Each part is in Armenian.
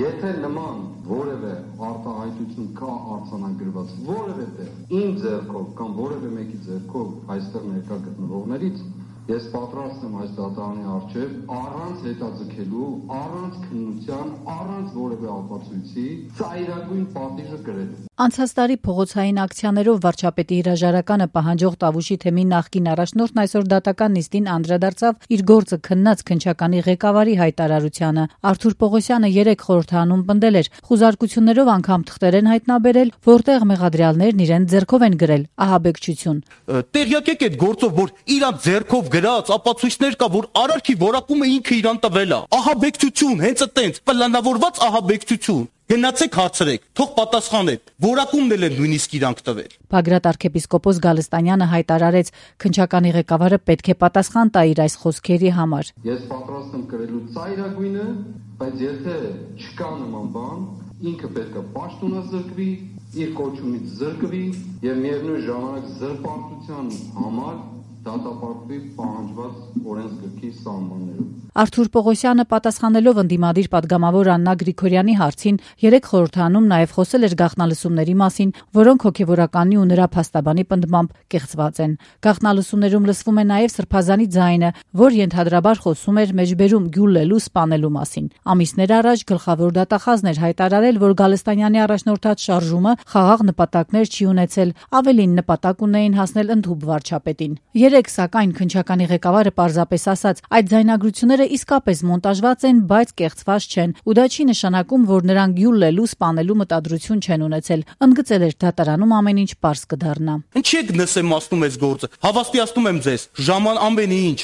Եթե նման որևէ արտահայտություն կա արձանագրված որևէ տեղ, իմ ձեռքով կամ որևէ մեկի ձեռքով այստեղ ներկա գտնվողներից, ես պատրաստ եմ այս դատարանի առջև առանց հետաձգելու, առանց քննության, առանց որևէ ապացույցի ծայրագույն պատիժը կրել։ Անցած տարի փողոցային ակցիաներով վարչապետի հրաժարականը պահանջող Տավուշի թեմի նախկին առաջնորդն այսօր դատական նիստին անդրադարձավ իր գործը քննած քննչականի ղեկավարի հայտարարությանը։ Արթուր Պողոսյանը 3 խորհրդանում պնդել էր, խուզարկություններով անգամ թղթեր են հայտնաբերել, որտեղ մեղադրյալներն իրեն ձեռքով են գրել ահաբեկչություն։ Տեղյակ եք այդ գործով, որ իրան ձեռքով գրած ապացույցներ կա, որ արարքի որակումը ինքը իրան տվել է։ Ահաբեկչություն, հենց այտենց պլանավորված ահաբեկչություն։ Գնացեք հարցրեք, թող պատասխանեք, որակումն էլ են նույնիսկ իրանք տվել։ Բագրատ arczepiskopos Գալստանյանը հայտարարեց, քննչականի ղեկավարը պետք է պատասխան տա իր այս խոսքերի համար։ Ես պատրաստ եմ կրելու ծայրագույնը, բայց եթե չկա նման բան, ինքը պետք է պաշտոնազրկվի, իր կոչումից զրկվի եւ միևնույն ժամանակ զրպարտության համար դատապարտվի պահանջված օրենսգրքի սահմաններով։ Արթուր Պողոսյանը պատասխանելով ընդդիմադիր պատգամավոր Աննա Գրիգորյանի հարցին 3 խորհրդանում նաև խոսել էր գաղտնալսումների մասին, որոնք հոգևորականի ու նրա փաստաբանի պնդմամբ կեղծված են։ Գաղտնալսումներում լսվում է նաև սրբազանի ձայնը, որ ենթադրաբար խոսում էր մեջբերում գյուլլելու սպանելու մասին։ Ամիսներ առաջ գլխավոր դատախազն էր հայտարարել, որ Գալստանյանի առաջնորդած շարժումը խաղաղ նպատակներ չի ունեցել, ավելին նպատակ ունեին հասնել ընդհուպ վարչապետին։ 3 սակայն քննչականի ղեկավարը պարզապես ասաց, այդ ձայնագրությունները իսկապես մոնտաժված են, բայց կեղծված չեն, ու դա չի նշանակում, որ նրանք գյուլլելու սպանելու մտադրություն չեն ունեցել։ Ընդգծել էր դատարանում ամեն ինչ պարզ կդառնա։ Ինչի եք նսեմացնում այս գործը։ Հավաստիացնում եմ ձեզ, ամեն ինչ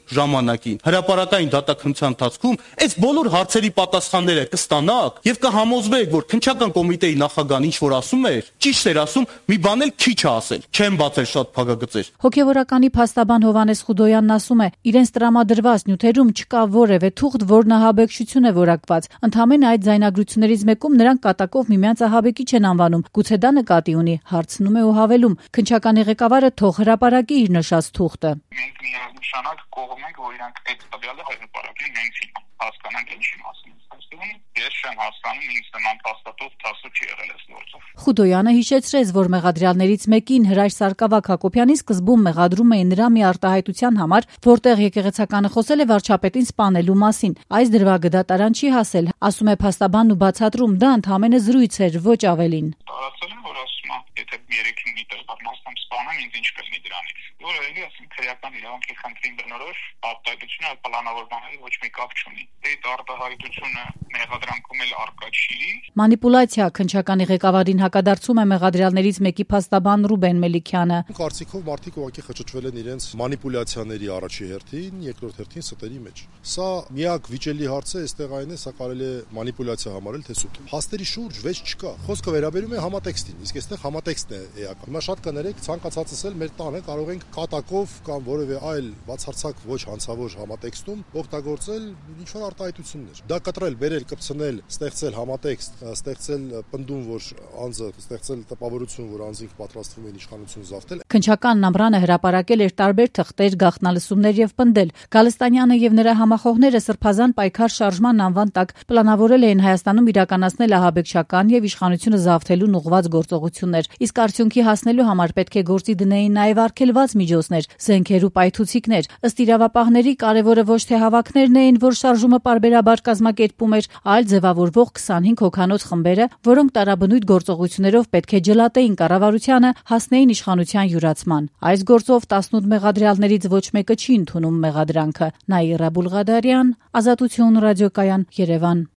ժամանակին, հրապարակային դատաքննության ընթացքում այս բոլոր հարցերի պատասխանները կստանաք եւ կհամոզվեք, որ քննչական կոմիտեի նախագահան ինչ որ ասում էր, ճիշտ էր ասում, մի բան էլ քիչ է ասել, չեմ բացել շատ փակագծեր։ Հոգևորականի փաստաբան Հովհաննես Խուդոյանն ասում է, իրենց տրամադրված նյութերում չկա որևէ թուղթ, որն ահաբեկչություն է որակված։ Ընդհանրապես այդ ձայնագրություններից մեկում նրանք կատակով միմյանց ահաբեկիչ են անվանում։ Գուցե դա նկատի ունի, հարցնում է ու հավելում։ Քննչականի ղեկավարը թող հրապարակի իր նշած թուղթը։ Մենք միանշանակ կողմ ենք, որ իրանք այդ տվյալը հրապարակեն հենց հասկանանք ինչի մասին։ Ես չեմ հասկանում, ինձ նման փաստաթուղթ տասը չի եղել այս գործով։ Խուդոյանը հիշեցրեց, որ մեղադրյալներից մեկին Հրաշ Սարգսակ Հակոբյանի սկզբում մեղադրում էին նրա մի արտահայտության համար, որտեղ եկեղեցականը խոսել է վարչապետին սպանելու մասին։ Այս դրվագը դատարան չի հասել, ասում է փաստաբանն ու բացատրում, դա ընդհանրապես զրույց էր, ոչ ավելին։ Տարածել եմ, որ ասում եմ, եթե 3-5 միտր բառնաստամ սպանեմ, ինձ ինչ կլինի դրանից։ Որը էլի ասում քրեական իրավունքի խնդրին բնորոշ արտահայտությունը պլանավորվածների ոչ մի կապ չունի։ Այդ արտահայտությունը մեղադրանքում էլ արկա չի։ Մանիպուլյացիա քննչականի ղեկավարին հակադարձում է մեղադրյալներից մեկի փաստաբան Ռուբեն Մելիքյանը։ Կարծիքով մարդիկ ուղղակի խճճվել են իրենց մանիպուլյացիաների առաջի հերթին, երկրորդ հերթին ստերի մեջ։ Սա միակ վիճելի հարց է, այստեղ այն է, սա կարելի է մանիպուլյացիա համարել, թե սուտ։ Փաստերի շուրջ վեճ չկա։ Խոսքը վերաբերում է համատեքստին, իսկ այստեղ համատեքստն է էական։ Հիմա շատ կներեք, ցանկացածս էլ մեր տանը կարող ենք կատակով կամ որևէ այլ բացարձակ ոչ հանցավոր համատեքստում օգտագործել ինչ-որ արտահայտություններ։ Դա կտրել, բերել, կպցնել, ստեղծել համատեքստ, ստեղծել պնդում, որ անձը, ստեղծել տպավորություն, որ անձինք պատրաստվում են իշխանություն զավթել։ Քննչական Նամրանը հրապարակել էր տարբեր թղթեր, գաղտնալսումներ եւ պնդել։ Գալստանյանը եւ նրա համախոհները սրբազան պայքար շարժման անվան տակ պլանավորել էին Հայաստանում իրականացնել ահաբեկչական եւ իշխանությունը զավթելուն ուղղված գործողություններ։ Իսկ արդյունքի հասնելու համար պետք է գործի դնեին նաեւ արգելված միջոցներ, զենքեր ու պայթուցիկներ։ Ըստ իրավապահների կարևորը ոչ թե հավաքներն էին, որ շարժումը պարբերաբար կազմակերպում էր, այլ ձևավորվող 25 հոգանոց խմբերը, որոնք տարաբնույթ գործողություններով պետք է ջլատեին կառավարությանը, հասնեին իշխանության յուրացման։ Այս գործով 18 մեղադրյալներից ոչ մեկը չի ընդունում մեղադրանքը։ Նաիրա Բուլղադարյան, Ազատություն ռադիոկայան, Երևան։